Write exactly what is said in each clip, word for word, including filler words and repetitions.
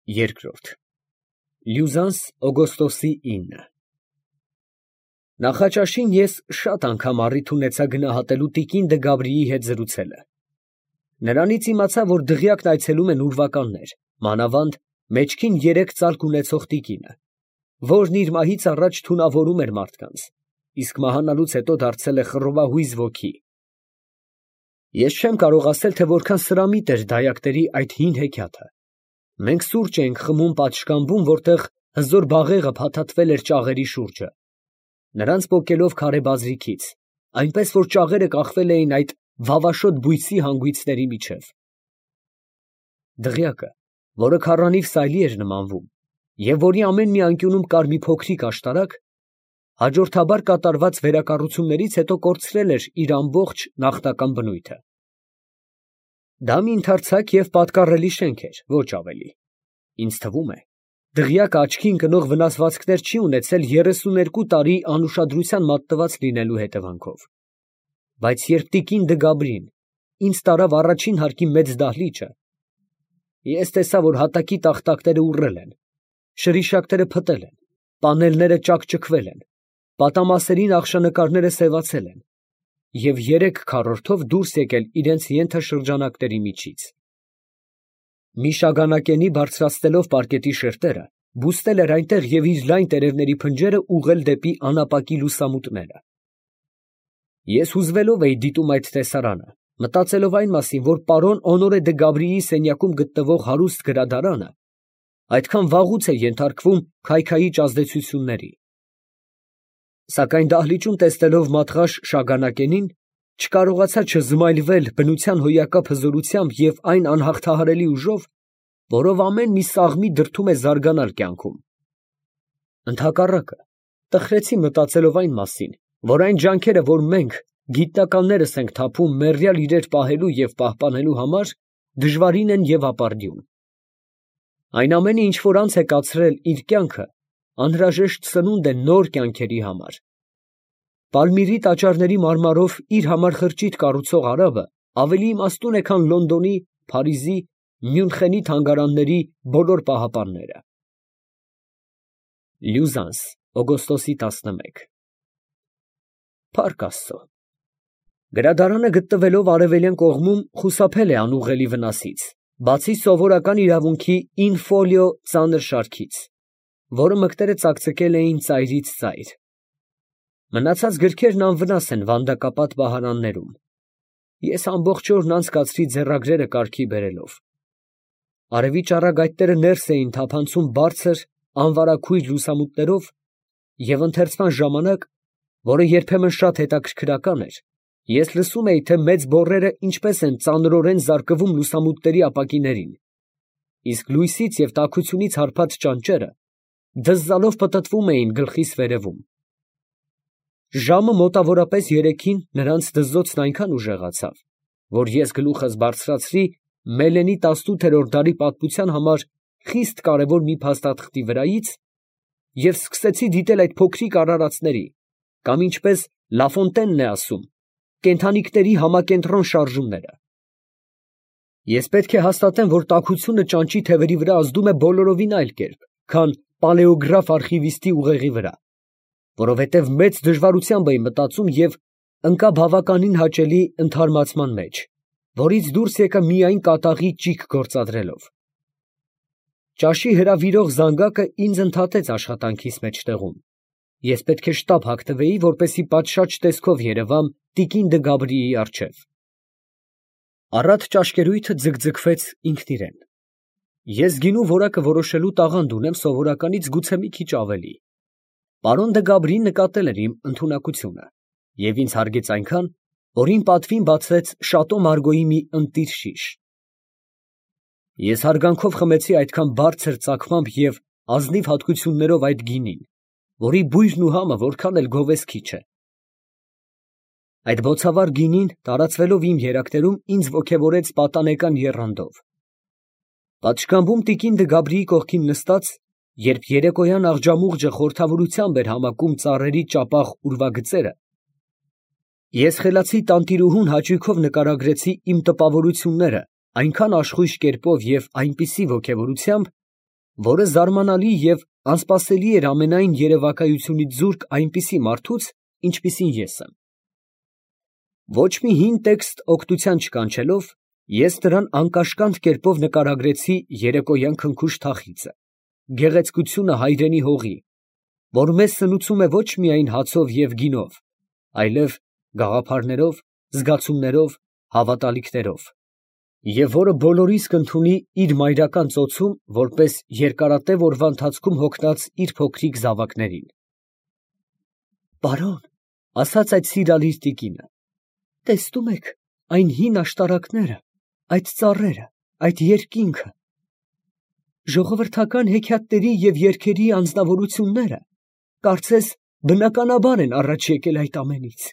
Երկրորդ Լյուզանս օգոստոսի ինը Նախաճաշին ես շատ անգամ առիթ ունեցա գնահատելու տիկին Դը Գաբրիի հետ զրուցելը. նրանից իմացա, որ դղյակն այցելում են ուրվականներ, մանավանդ մեջքին երեք ծալք ունեցող տիկինը, որն իր մահից առաջ թունավորում էր մարդկանց, իսկ մահանալուց հետո դարձել է խռովահույզ ոգի։ Ես չեմ կարող ասել, թե որքան սրամիտ էր դայակների այդ հին հեքիաթը։ Մենք սուրճ էինք խմում պատշգամբում, որտեղ հզոր բաղեղը փաթաթվել էր ճաղերի շուրջը, նրանց պոկելով քարե բազրիքից, այնպես որ ճաղերը կախվել էին այդ վավաշոտ բույսի հանգույցների միջև։ Դղյակը, որը քառանիվ սայլի էր նմանվում, և որի ամեն մի անկյունում կար մի փոքրիկ աշտարակ, հաջորդաբար կատարված վերակառուցումներից հետո կորցրել էր իր ամբողջ նախնական բնույթը։ Դա մի ընդարձակ և պատկառելի շենք էր, ոչ ավելի։ Ինձ թվում է, դղյակը աչքի ընկնող վնասվածքներ չի ունեցել երեսուներկու տարի անուշադրության մատնված լինելու հետևանքով։ Բայց երբ տիկին Դը Գաբրին ինձ տարավ առաջին հարկի մեծ դահլիճը, ես տեսա, որ հատակի տախտակները ուռել են, շրիշակները փտել են, պանելները ճաքճքվել են, պատամասերի նախշանկարները սևացել են և երեք քառորդով դուրս եկել իրենց ենթաշրջանակների միջից։ Մի շագանակենի բարձրացնելով պարկետի շերտերը, բուստել էր այնտեղ և իր լայն տերևների փնջերը ուղղել դեպի անապակի լուսամուտները։ Ես հուզվելով էի դիտում այդ տեսարանը, մտածելով այն մասին, որ պարոն Օնորե Դը Գաբրիի սենյակում գտնվող հարուստ գրադարանը այդքան վաղուց է ենթարկվում քայքայիչ ազդեցությունների։ Սակայն դահլիճում տեսնելով մատղաշ շագանակենին, չկարողացա չզմայլվել բնության հոյակապ հզորությամբ և այն անհաղթահարելի ուժով, որով ամեն մի սաղմի դրդում է զարգանալ կյանքում։ Ընդհակառակը, տխրեցի մտածելով այն մասին, որ այն ջանքերը, որ մենք, գիտնականներս ենք թափում մեռյալ իրեր պահելու և պահպանելու համար, դժվարին են և ապարդյուն։ Այն ամենը, ինչ որ անց է կացրել իր կյանքը, անհրաժեշտ սնունդ է նոր կյանքերի համար։ Պալմիրի տաճարների մարմարով իր համար խրճիթ կառուցող արաբը ավելի իմաստուն է, քան Լոնդոնի, Փարիզի, Մյունխենի թանգարանների բոլոր պահապանները։ Լյուզանս, օգոստոսի տասնմեկ Փառք Աստծո, գրադարանը գտնվելով արևելյան կողմում խուսափել է անուղղելի վնասից, բացի սովորական իրավունքի in folio ծանր շարքից, որը մկները ծակծկել էին ծայրից ծայր։ Մնացած գրքերն անվնաս են վանդակապատ բահարաններում։ Ես ամբողջ օրն անցկացրի ձեռագրերը կարգի բերելով։ Արևի ճառագայթները ներս էին թափանցում բարձր, անվարագույր լուսամուտներով, և ընթերցման ժամանակ, որը երբեմն շատ հետաքրքրական էր, ես լսում էի, թե մեծ բոռերը ինչպես են ծանրորեն զարկվում լուսամուտների ապակիներին, իսկ լույսից և տաքությունից հարբած ճանճերը դզզալով պտտվում էին գլխիս վերևում։ Ժամը մոտավորապես երեքին նրանց դզզոցն այնքան ուժեղացավ, որ ես գլուխս բարձրացրի Մելենի տասնութերորդ դարի պատմության համար խիստ կարևոր մի փաստաթղթի վրայից և սկսեցի դիտել այդ փոքրիկ արարածների, կամ ինչպես Լաֆոնտենն է ասում, կենդանիքների համակենտրոն շարժումները։ Ես պետք է հաստատեմ, որ տաքությունը ճանճի թևերի վրա ազդում է բոլորովին այլ կերպ, քան պալեոգրաֆ արխիվիստի ուղեղի վրա, որովհետև մեծ դժվարությամբ էի մտածում և ընկա բավականին հաճելի ընդհարմացման մեջ, որից դուրս եկա միայն կատաղի ճիգ գործադրելով։ Ճաշի հրավիրող զանգակը ինձ ընդհատեց աշխատանքիս մեջտեղում։ Ես պետք է շտապ հագնվեի, որպեսզի պատշաճ տեսքով երևամ տիկին Դը Գաբրիի առջև։ Առատ ճաշկերույթը ձգձգվեց ինքն իրեն։ Ես գինու որակը որոշելու տաղանդ ունեմ սովորականից գուցե մի քիչ ավելի։ Պարոն Դը Գաբրին նկատել էր իմ ընդունակությունը և ինձ հարգեց այնքան, որ իմ պատվին բացեց Շատո Մարգոյի մի ընտիր շիշ։ Ես հարգանքով խմեցի այդքան բարձր ծագմամբ և ազնիվ հատկություններով այդ գինին, որի բույրն ու համը որքան էլ գովեզքի չէ։ Այդ բոցավառ գինին, տարածվելով իմ երակներում, ինձ ոգևորեց պատանեկան եռանդով։ Պատշգամբում տիկին Դը Գաբրիի կողքին նստած, երբ երեկոյան աղջամուղջը խորհրդավորությամբ էր համակում ծառերի ճապաղ ուրվագծերը, ես խելացի տանտիրուհուն հաճույքով նկարագրեցի իմ տպավորությունները այնքան աշխույժ կերպով և այնպիսի ոգևորությամբ, որը զարմանալի և անսպասելի էր ամենայն երևակայությունից զուրկ այնպիսի մարդուց, ինչպիսին ես եմ։ Ոչ մի հին տեքստ օգնության չկանչելով, ես նրան անկաշկանդ կերպով նկարագրեցի երեկոյան քնքուշ թախիծը, գեղեցկությունը հայրենի հողի, որ մեզ սնուցում է ոչ միայն հացով և գինով, այլև գաղափարներով, զգացումներով, հավատալիքներով, և որը բոլորիս կընդունի իր մայրական ծոցում, որպես երկարատև օրվա ընթացքում հոգնած իր փոքրիկ զավակներին։ «Պարոն, ֊ ասաց այդ սիրալիր տիկինը, ֊ տեսնում եք այն հին աշտարակները, այդ ծառերը, այդ երկինքը, ժողովրդական հեքիաթների և երգերի անձնավորությունները, կարծես բնականաբար են առաջ եկել այդ ամենից։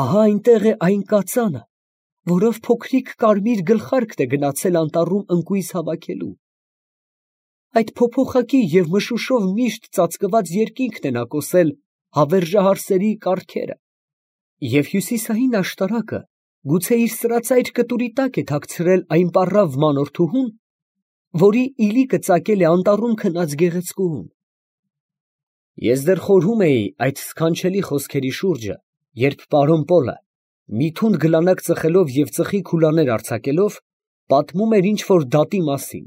Ահա այնտեղ է այն կածանը, որով փոքրիկ կարմիր գլխարկն է գնացել անտառում ընկույզ հավաքելու։ Այդ փոփոխակի և մշուշով միշտ ծածկված երկինքն է նա կոսել հավերժահարսերի կառքերը, և հյուսիսային աշտարակը գուցե իր սրածայր կտուրի տակ է թաքցրել այն պառավ մանորթուհուն, որի իլիկը ծակել է անտառում քնած գեղեցկուհուն»։ Ես դեռ խորհում էի այդ սքանչելի խոսքերի շուրջը, երբ պարոն Պոլը, մի թունդ գլանակ ծխելով և ծխի քուլաներ արձակելով, պատմում էր ինչ֊որ դատի մասին,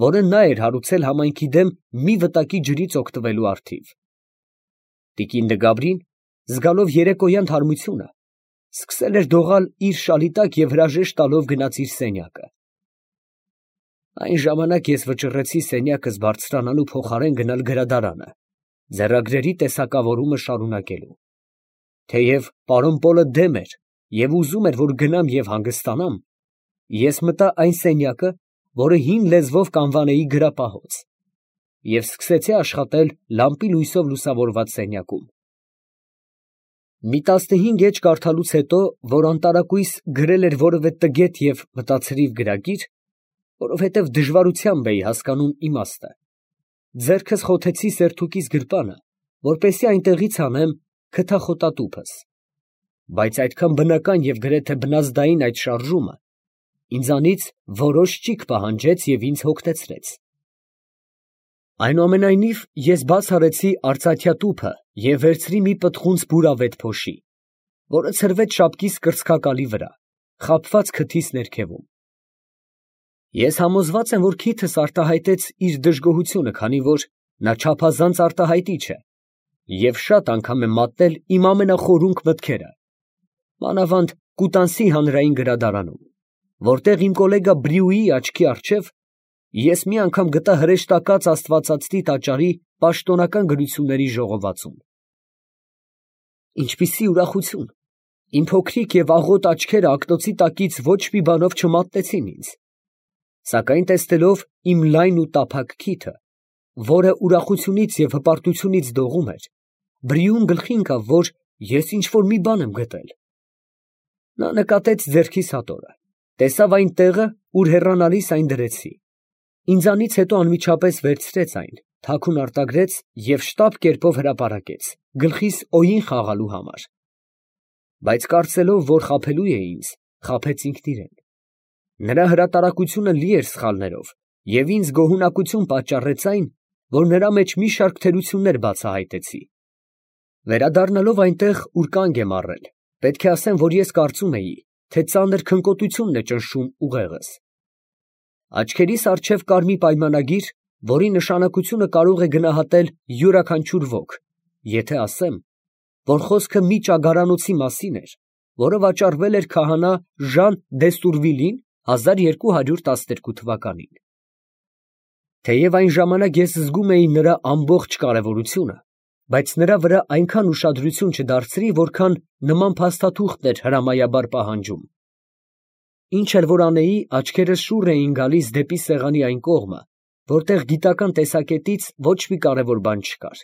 որը նա էր հարուցել համայնքի դեմ մի վտակի ջրից օգտվելու առթիվ։ Տիկին Դգաբրին, զգալով երեկոյան թարմությունը, սկսել էր դողալ իր շալի տակ և հրաժեշտ տալով գնաց իր սենյակը։ Այն ժամանակ ես վճռեցի սենյակս բարձրանալու փոխարեն գնալ գրադարանը, ձեռագրերի տեսակավորումը շարունակելու։ Թեև պարոն Պոլը դեմ էր և ուզում էր, որ գնամ և հանգստանամ, ես մտա այն սենյակը, որը հին լեզվով կանվանեի գրապահոց, և սկսեցի աշխատել լամպի լույսով լուսավորված սենյակում։ Մի տասնհինգ էջ կարդալուց հետո, որ անտարակույս գրել էր որևէ տգետ և մտացրիվ գրագիր, որովհետև դժվարությամբ էի հասկանում իմաստը, ձեռքս խոթեցի սերթուկիս գրպանը, որպեսզի այնտեղից հանեմ քթախոտատուփս, բայց այդքան բնական և գրեթե բնազդային այդ շարժումը ինձանից որոշ ճիգ պահանջեց և ինձ հոգնեցրեց։ Այնուամենայնիվ ես բաց արեցի արծաթյա տուփը և վերցրի մի պտղունց բուրավետ փոշի, որը ցրվեց շապկիս կրծքակալի վրա, խաբված քթիս ներքևում։ Ես համոզված եմ, որ քիթս արտահայտեց իր դժգոհությունը, քանի որ նա չափազանց արտահայտիչ է, և շատ անգամ եմ մատնել իմ ամենախորունկ մտքերը, մանավանդ Կուտանսի հանրային գրադարանում, որտեղ իմ կոլեգա Բրյուի աչքի առջև ես մի անգամ գտա հրեշտակած աստվածածնի տաճարի պաշտոնական գրությունների ժողովածուն։ Ինչպիսի ուրախություն. իմ փոքրիկ և աղոտ աչքերը ակնոցի տակից ոչ մի բանով չմատնեցին ինձ, սակայն տեսնելով իմ լայն ու տափակ քիթը, որը ուրախությունից և հպարտությունից դողում էր, Բրիուն գլխի ընկավ, որ ես ինչ֊որ մի բան եմ գտել։ Նա նկատեց ձեռքիս հատորը, տեսավ այն տեղը, ուր հեռանալիս այն դրեցի, ինձանից հետո անմիջապես վերցրեց այն, թաքուն արտագրեց և շտապ կերպով հրապարակեց, գլխիս օյին խաղալու համար, բայց կարծելով, որ խաբելու է ինձ, խաբեց ինքն իրան։ Նրա հրատարակությունը լի էր սխալներով, և ինձ գոհունակություն պատճառեց այն, որ նրա մեջ մի շարք թերություններ բացահայտեցի։ Վերադառնալով այնտեղ, ուր կանգ եմ առել, պետք է ասեմ, որ ես կարծում էի, թե ծանր քնկոտությունն է ճնշում ուղեղս։ Աչքերիս առջև կար մի պայմանագիր, որի նշանակությունը կարող է գնահատել յուրաքանչյուր ոք, եթե ասեմ, որ խոսքը մի ճագարանոցի մասին էր, որը վաճառվել էր քահանա Ժան դ'Եստուրվիլին հազար երկու հարյուր տասներկու թվականին։ Թեև այն ժամանակ ես զգում էի նրա ամբողջ կարևորությունը, բայց նրա վրա այնքան ուշադրություն չդարձրի, որքան նման փաստաթուղթն էր հրամայաբար պահանջում։ Ինչ էլ որ անեի, աչքերս շուռ էին գալիս դեպի սեղանի այն կողմը, որտեղ գիտական տեսակետից ոչ մի կարևոր բան չկար։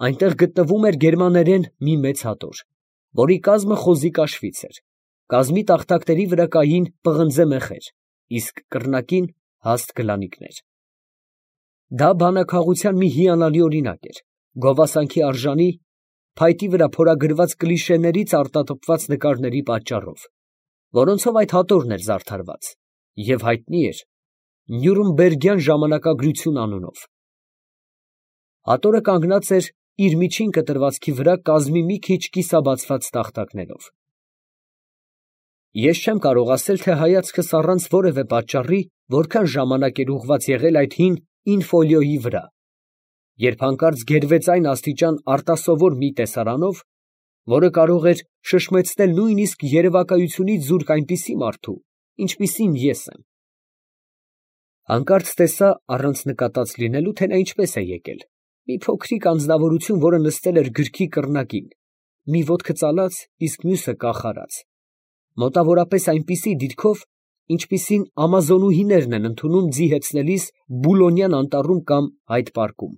Այնտեղ գտնվում էր գերմաներեն մի մեծ հատոր, որի կազմը խոզի կաշվից էր, կազմի տախտակների վրա կային պղնձե մեխեր, իսկ կռնակին հաստ գլանիկներ։ Դա բանաքաղության մի հիանալի օրինակ էր, գովասանքի արժանի, փայտի վրա փորագրված կլիշեներից արտատպված նկարների պատճառով, որոնցով այդ հատորն էր զարդարված, և հայտնի էր, Նյուրնբերգյան ժամանակագրություն անունով։ Աթոռը կանգնած էր իր միջին կտրվածքի վրա կազմի մի քիչ կիսաբացված տախտակներով։ Ես չեմ կարող ասել, թե հայացքս առանց որևէ պատճառի որքան ժամանակ էր ուղղված եղել այդ հին ինֆոլիոյի վրա, երբ հանկարծ գերվեց այն աստիճան արտասովոր մի տեսարանով, որը կարող էր շշմեցնել նույնիսկ երևակայությունից զուրկ այնպիսի մարդու, ինչպիսին ես եմ։ Հանկարծ տեսա, առանց նկատած լինելու, թե նա ինչպես է եկել, մի փոքրիկ անձնավորություն, որը նստել էր գրքի կռնակին, մի ոտքը ծալած, իսկ մյուսը կախարած, մոտավորապես այնպիսի դիրքով, ինչպիսին ամազոնուհիներն են ընդունում ձի հեծնելիս Բուլոնյան անտառում կամ Հայդ պարկում։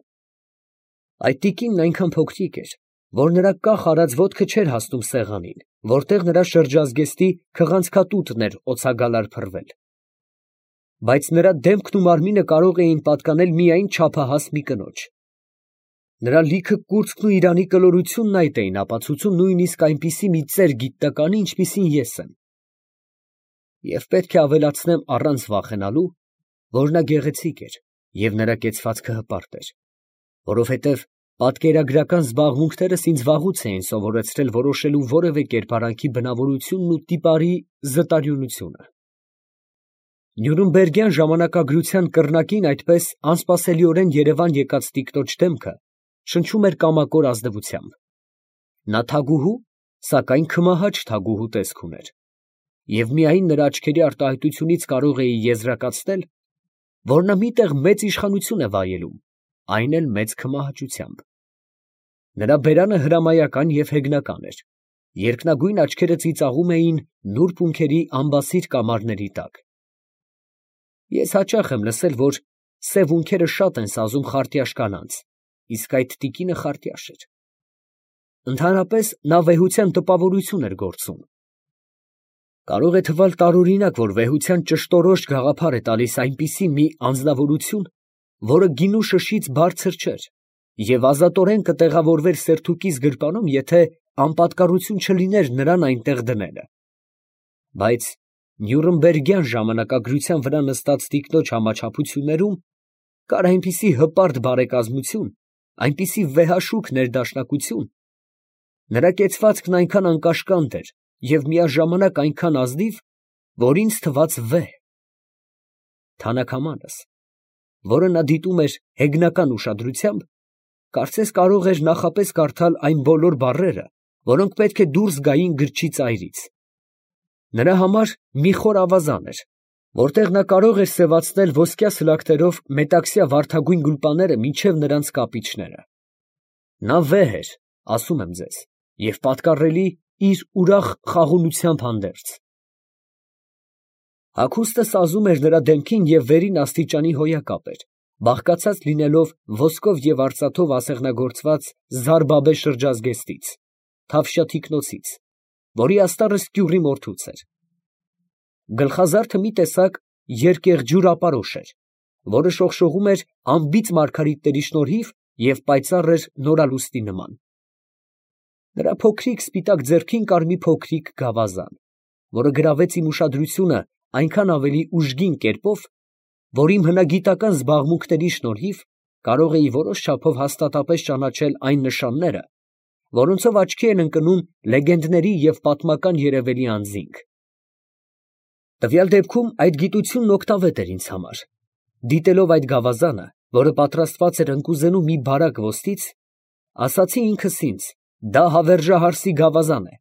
Այդ տիկինն այնքան փոքրիկ էր, որ նրա կախ արած ոտքը չէր հասնում սեղանին, որտեղ նրա շրջազգեստի քղանցքատուտն էր օձագալար փռվել, բայց նրա դեմքն ու մարմինը կարող էին պատկանել միայն չափահաս մի կնոջ։ Նրա լիքը կուրծքն ու իրանի կլորությունն այդ էին ապացուցում նույնիսկ այնպիսի մի ծեր գիտնականի, ինչպիսին ես եմ։ Եվ պետք է ավելացնեմ առանց վախենալու, որ նա գեղեցիկ էր և նրա կեցվածքը հպարտ էր, որովհետև պատկերագրական զբաղմունքներս ինձ վաղուց էին սովորեցրել որոշելու որևէ կերպարանքի բնավորությունն ու տիպարի զտարյունությունը։ Նյուրնբերգյան ժամանակագրության կռնակին այդպես անսպասելիորեն երևան եկած տիկնոջ դեմքը շնչում էր կամակոր ազնվությամբ։ Նա թագուհու, սակայն քմահաճ թագուհու տեսք ուներ, և միայն նրա աչքերի արտահայտությունից կարող էի եզրակացնել, որ նա մի տեղ մեծ իշխանություն է վայելում, այն էլ մեծ քմահաճությամբ։ Նրա բերանը հրամայական և հեգնական էր, երկնագույն աչքերը ծիծաղում էին նուրբ ունքերի ամբասիր կամարների տակ։ Ես հաճախ եմ լսել, որ սև ունքերը շատ են սազում խարտյաշ կանանց, իսկ այդ տիկինը խարտյաշ էր։ Ընդհանրապես նա վեհության տպավորություն էր գործում։ Կարող է թվալ տարօրինակ, որ վեհության ճշտորոշ գաղափար է տալիս այնպիսի մի անձնավորություն, որը գինու շշից բարձր չէր և ազատորեն կտեղավորվեր սերթուկիս գրպանում, եթե անպատկառություն չլիներ նրան այնտեղ դնելը։ Բայց Նյուրնբերգյան ժամանակագրության վրա նստած տիկնոջ համաչափություններում կար այնպիսի հպարտ բարեկազմություն, այնպիսի վեհաշուք ներդաշնակություն, նրա կեցվածքն այնքան անկաշկանդ էր և միաժամանակ այնքան ազնիվ, որ ինձ թվաց վեհ։ Թանաքամանս, որը նա դիտում էր հեգնական ուշադրությամբ, կարծես կարող էր նախապես կարդալ այն բոլոր բառերը, որոնք պետք է դուրս գային գրչի ծայրից։ Նրա համար մի խոր ավազան էր, որտեղ նա կարող էր սևացնել ոսկյա սլաքներով մետաքսյա վարդագույն գուլպաները մինչև նրանց կապիճները։ Նա վեհ էր, ասում եմ ձեզ, և պատկառելի իր ուրախ խաղաղությամբ հանդերձ։ Հագուստը սազում էր նրա դեմքին և վերին աստիճանի հոյակապ էր, բաղկացած լինելով ոսկով և արծաթով ասեղնագործված զարբաբե շրջազգեստից, թավշյա թիկնոցից, որի աստառը սկյուռի մորթուց էր։ Գլխազարդը մի տեսակ երկեղջյուր ապարոշ էր, որը շողշողում էր անբիծ մարգարիտների շնորհիվ և պայծառ էր նորալուստի նման։ Նրա փոքրիկ սպիտակ ձեռքին կար մի փոքրիկ գավազան, որը գրավեց իմ ուշադրությունը այնքան ավելի ուժգին կերպով, որ իմ հնագիտական զբաղմունքների շնորհիվ կարող էի որոշ չափով հաստատապես ճանաչել այն նշանները, որոնցով աչքի են ընկնում լեգենդների և պատմական երևելի անձինք։ Տվյալ դեպքում այդ գիտությունն օգտավետ էր ինձ համար։ Դիտելով այդ գավազանը, որը պատրաստված էր ընկուզենու մի բարակ ոսկից, ասացի ինքս ինձ. դա հավերժահարսի գավազան է,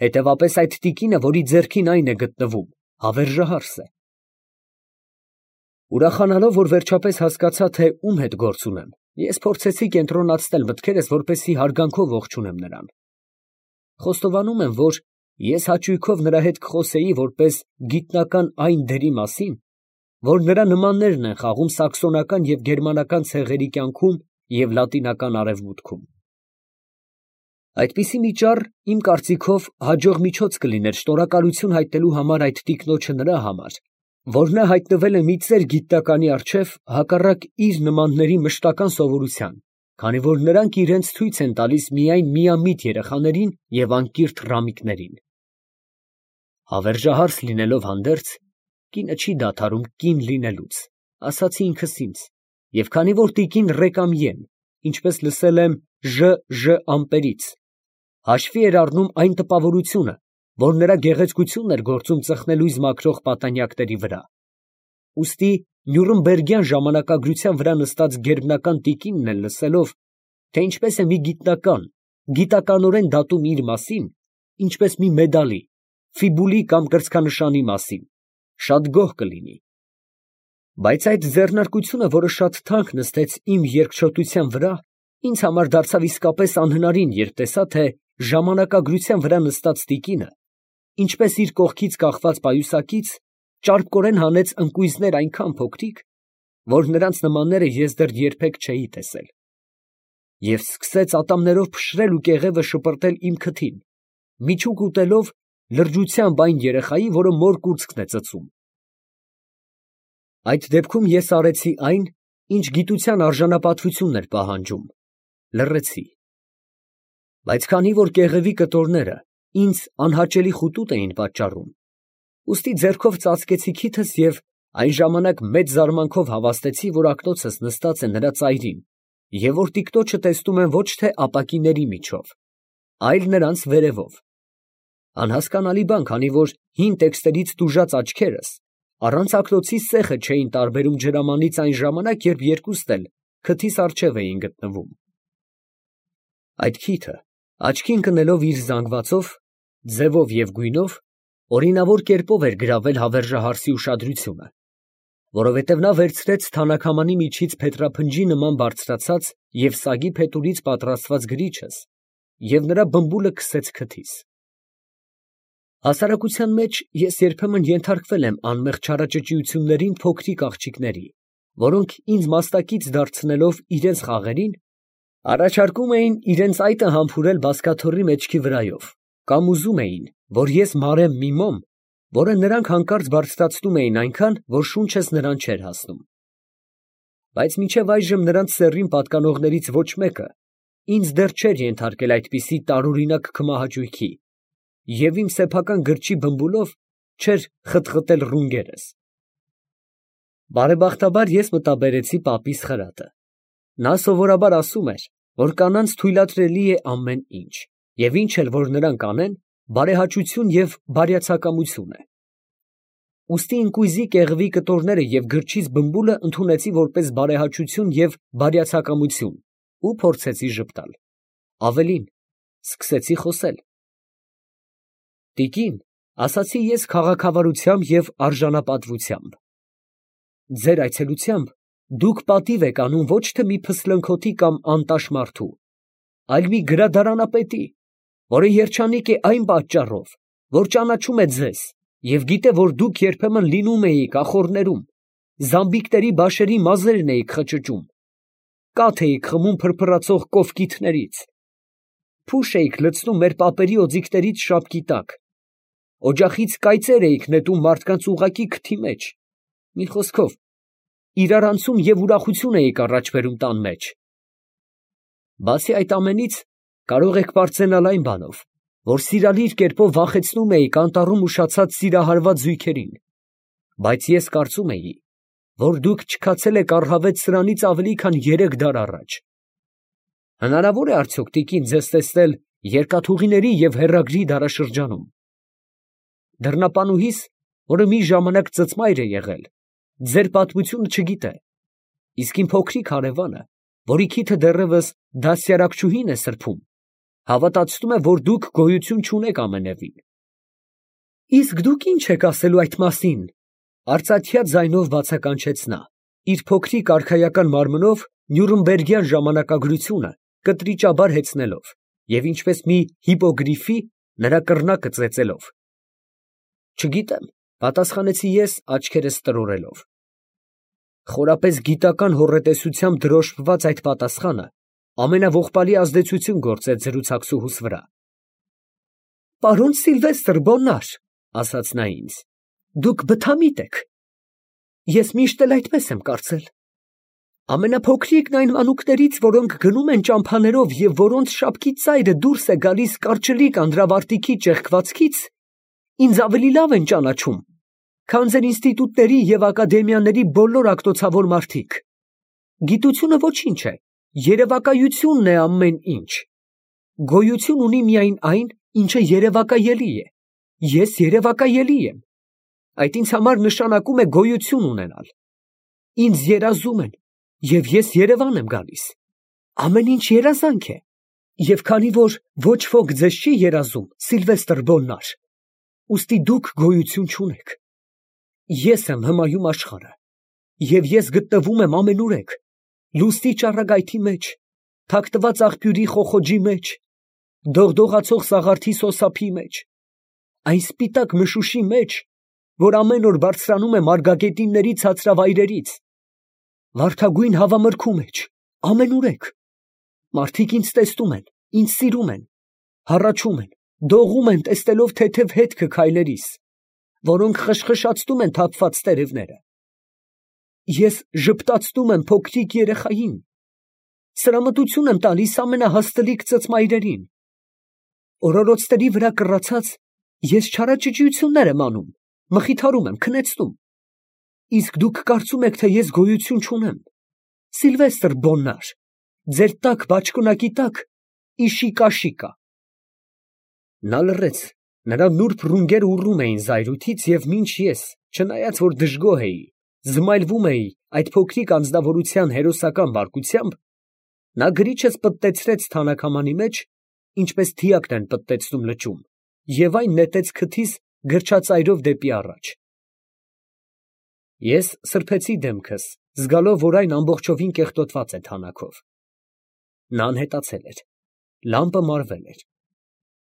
հետևապես այդ տիկինը, որի ձեռքին այն է գտնվում, հավերժահարս է։ Ուրախանալով, որ վերջապես հասկացա, թե ում հետ գործ ունեմ, ես փորձեցի կենտրոնացնել մտքերս, որպեսզի հարգանքով ողջունեմ նրան։ Խոստովանում եմ, որ ես հաճույքով նրա հետ կխոսեի որպես գիտնական այն դերի մասին, որ նրա նմաններն են խաղում սաքսոնական և գերմանական ցեղերի կյանքում և լատինական արևմուտքում։ Այդպիսի մի ճառ, իմ կարծիքով, հաջող միջոց կլիներ շնորհակալություն հայտնելու համար այդ տիկնոջը նրա համար, որ նա հայտնվել է մի ծեր գիտնականի առջև հակառակ իր նմանների մշտական սովորության, քանի որ նրանք իրենց ցույց են տալիս միայն միամիտ երեխաներին և անկիրթ ռամիկներին։ Հավերժահարս լինելով հանդերձ, կինը չի դադարում կին լինելուց, ասացի ինքս ինձ, և քանի որ տիկին Ռեկամի եմ, ինչպես լսել եմ Ժ. Ժ. ամպերից, հաշվի էր առնում այն տպավորությունը, որ նրա գեղեցկությունն էր գործում ծխնելույզ մաքրող պատանյակների վրա, ուստի նյուրնբերգյան ժամանակագրության վրա նստած գերբնական տիկինն էլ լսելով, թե ինչպես է մի գիտնական գիտականորեն դատում իր մասին, ինչպես մի մեդալի, ֆիբուլի կամ կրծքանշանի մասին, շատ գոհ կլինի. բայց այդ ձեռնարկությունը, որը շատ թանկ նստեց իմ երկչոտության վրա, ինձ համար դարձավ իսկապես անհնարին, երբ տեսա, թե ժամանակագրության վրա նստած տիկինը, ինչպես իր կողքից կախված պայուսակից, ճարպկորեն հանեց ընկույզներ այնքան փոքրիկ, որ նրանց նմանները ես դեռ երբեք չէի տեսել, և սկսեց ատամներով փշրել ու կեղևը շպրտել իմ քթին, միջուկ ուտելով լրջությամբ այն երեխայի, որը մոր կուրծքն է ծծում։ Այդ դեպքում ես արեցի այն, ինչ գիտության արժանապատվությունն էր պահանջում, լռեցի, բայց քանի որ կեղևի կտորները ինձ անհաճելի խուտուտ էին պատճառում, ուստի ձեռքով ծածկեցի քիթս և այն ժամանակ մեծ զարմանքով հավաստեցի, որ ակնոցս նստած է նրա ծայրին և որ տիկնոջը տեսնում եմ ոչ թե ապակիների միջով, այլ նրանց վերևով, անհասկանալի բան, քանի որ հին տեքստերից տուժած աչքերս առանց ակնոցի սեխը չէին տարբերում ջրամանից այն ժամանակ, երբ երկուստ էլ քթիս առջև էին գտնվում։ Այդ քիթը աչքի ընկնելով իր զանգվածով, ձևով և գույնով, օրինավոր կերպով էր գրավել հավերժահարսի ուշադրությունը, որովհետև նա վերցրեց թանաքամանի միջից փետրափնջի նման բարձրացած և սագի փետուրից պատրաստված գրիչս և նրա բմբուլը քսեց քթիս։ Հասարակության մեջ ես երբեմն ենթարկվել եմ անմեղ չարաճճիություններին փոքրիկ աղջիկների, որոնք ինձ մաստակից դարձնելով իրենց խաղերին, առաջարկում էին իրենց այտը համբուրել բազկաթոռի մեջքի վրայով, կամ ուզում էին, որ ես մարեմ մի մոմ, որը նրանք հանկարծ բարձրացնում էին այնքան, որ շունչս նրան չէր հասնում։ Բայց մինչև այժմ նրանց սեռին պատկանողներից ոչ մեկը ինձ դեռ չէր ենթարկել այդպիսի տարօրինակ քմահաճույքի և իմ սեփական գրչի բմբուլով չէր խտխտել ռունգերս։ Բարեբախտաբար ես մտաբերեցի պապիս խրատը. նա սովորաբար ասում էր, որ կանանց թույլատրելի է ամեն ինչ, և ինչ էլ որ նրանք անեն, բարեհաճություն և բարյացակամություն է։ Ուստի ընկույզի կեղվի կտորները և գրչից բմբուլը ընդունեցի որպես բարեհաճություն և բարյացակամություն ու փորձեցի ժպտալ, ավելին, սկսեցի խոսել. «Տիկին, ասացի ես քաղաքավարությամբ և արժանապատվությամբ, ձեր այցելությամբ դուք պատիվ եք անում ոչ թե մի փսլնքոթի կամ անտաշ մարդու, այլ մի գրադարանապետի, որը երջանիկ է այն պատճառով, որ ճանաչում է ձեզ և գիտե, որ դուք երբեմն լինում էիք ախոռներում, զամբիկների բաշերի մազերն էիք խճճում, կաթ էիք խմում փրփրացող կովկիթներից, փուշ էիք լցնում մեր պապերի օձիքներից շապկի տակ, օջախից կայծեր էիք նետում մարդկանց ուղղակի քթի մեջ, մի խոսքով, իրարանցում և ուրախություն էիք առաջ բերում տան մեջ։ Բացի այդ ամենից, կարող եք պարծենալ այն բանով, որ սիրալիր կերպով վախեցնում էիք անտառում ուշացած սիրահարված զույգերին, բայց ես կարծում էի, որ դուք չքացել եք առհավետ սրանից ավելի քան երեք դար առաջ։ Հնարավո՞ր է արդյոք, տիկին, ձեզ տեսնել երկաթուղիների և հեռագրի դարաշրջանում։ Դռնապանուհիս, որը մի ժամանակ ծծմայր է եղել, ձեր պատմությունը չգիտե, իսկ իմ փոքրիկ հարևանը, որի քիթը դեռևս դաստիարակչուհին է սրբում, հավատացնում է, որ դուք գոյություն չունեք ամենևին։ Իսկ դուք ի՞նչ եք ասելու այդ մասին, արծաթյա ձայնով բացականչեց նա, իր փոքրիկ արքայական մարմնով նյուրնբերգյան ժամանակագրությունը կտրիճաբար հեծնելով և ինչպես մի հիպոգրիֆի նրա կռնակը ծեծելով։ Չգիտեմ, պատասխանեցի ես, աչքերս տրորելով։ Խորապես գիտական հոռետեսությամբ դրոշմված այդ պատասխանը ամենաողբալի ազդեցություն գործեց զրուցակցուհուս վրա։ Պարոն Սիլվեստր Բոննար, ասաց նա ինձ, դուք բթամիտ եք։ Ես միշտ էլ այդպես եմ կարծել։ Ամենափոքրիկն այն մանուկներից, որոնք գնում են ճամփաներով և որոնց շապկի ծայրը դուրս է գալիս կարճլիկ անդրավարտիքի ճեղքվածքից, ինձ ավելի լավ են ճանաչում, քան ձեր ինստիտուտների և ակադեմիաների բոլոր ակտոցավոր մարդիկ։ Գիտությունը ոչինչ է, երևակայությունն է ամեն ինչ։ Գոյություն ունի միայն այն, ինչը երևակայելի է։ Ես երևակայելի եմ։ Այդ ինձ համար նշանակում է գոյություն ունենալ։ Ինձ երազում են, և ես Երևան եմ գալիս։ Ամեն ինչ երազանք է։ Եվ քանի որ ոչ ոք ձեզ չի երազում, Սիլվեստր Բոլնար, ուստի դուք գոյություն չունեք։ Ես եմ հմայում աշխարհը, և ես գտնվում եմ ամենուրեք, լուսնի ճառագայթի մեջ, թաքնված աղբյուրի խոխոջի մեջ, դողդողացող սաղարթի սոսափի մեջ, այն սպիտակ մշուշի մեջ, որ ամեն օր բարձրանում է մարգագետինների ցածրավայրերից, վարդագույն հավամրգու մեջ, ամենուրեք։ Մարդիկ ինձ տեսնում են, ինձ սիրում են, հառաչում են, դողում են, տեսնելով թեթև հետքը քայլերիս, որոնք խշխշացնում են թափված տերևները։ Ես ժպտացնում եմ փոքրիկ երեխային, սրամտություն եմ տալիս ամենահաստլիկ ծծմայրերին։ Օրորոցների վրա կռացած, ես չարաճճիություններ եմ անում, մխիթարում եմ, քնեցնում։ Իսկ դուք կարծում եք, թե ես գոյություն չունեմ։ Սիլվեստր Բոլնար, ձեր տաք բաճկոնակի տակ իշիկա֊շիկա։ Նա լռեց, նրա նուրբ ռունգերը ուռում էին զայրույթից, և մինչ ես, չնայած որ դժգոհ էի, զմայլվում էի այդ փոքրիկ անձնավորության հերոսական բարկությամբ, նա գրիչս պտտեցրեց թանաքամանի մեջ, ինչպես դիակն են պտտեցնում լճում, և այն նետեց քթիս գրչածայրով դեպի առաջ։ Ես սրբեցի դեմքս, զգալով, որ այն ամբողջովին կեղտոտված է թանաքով։ Նա անհետացել էր, լամպը մարվել էր։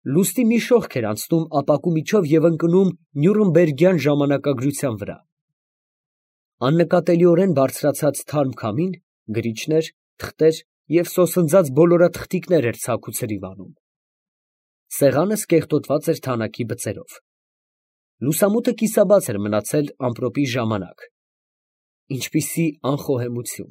Լուսնի մի շողք էր անցնում ապակու միջով և ընկնում նյուրնբերգյան ժամանակագրության վրա։ Աննկատելիորեն բարձրացած թարմ քամին, գրիչներ, թղթեր և սոսնձած բոլորաթղթիկներ էր ցաք ու ցրիվ անում։ Սեղանս կեղտոտված էր թանաքի բծերով։ Լուսամուտը կիսաբաց էր մնացել ամպրոպի ժամանակ։ Ինչպիսի անխոհեմություն։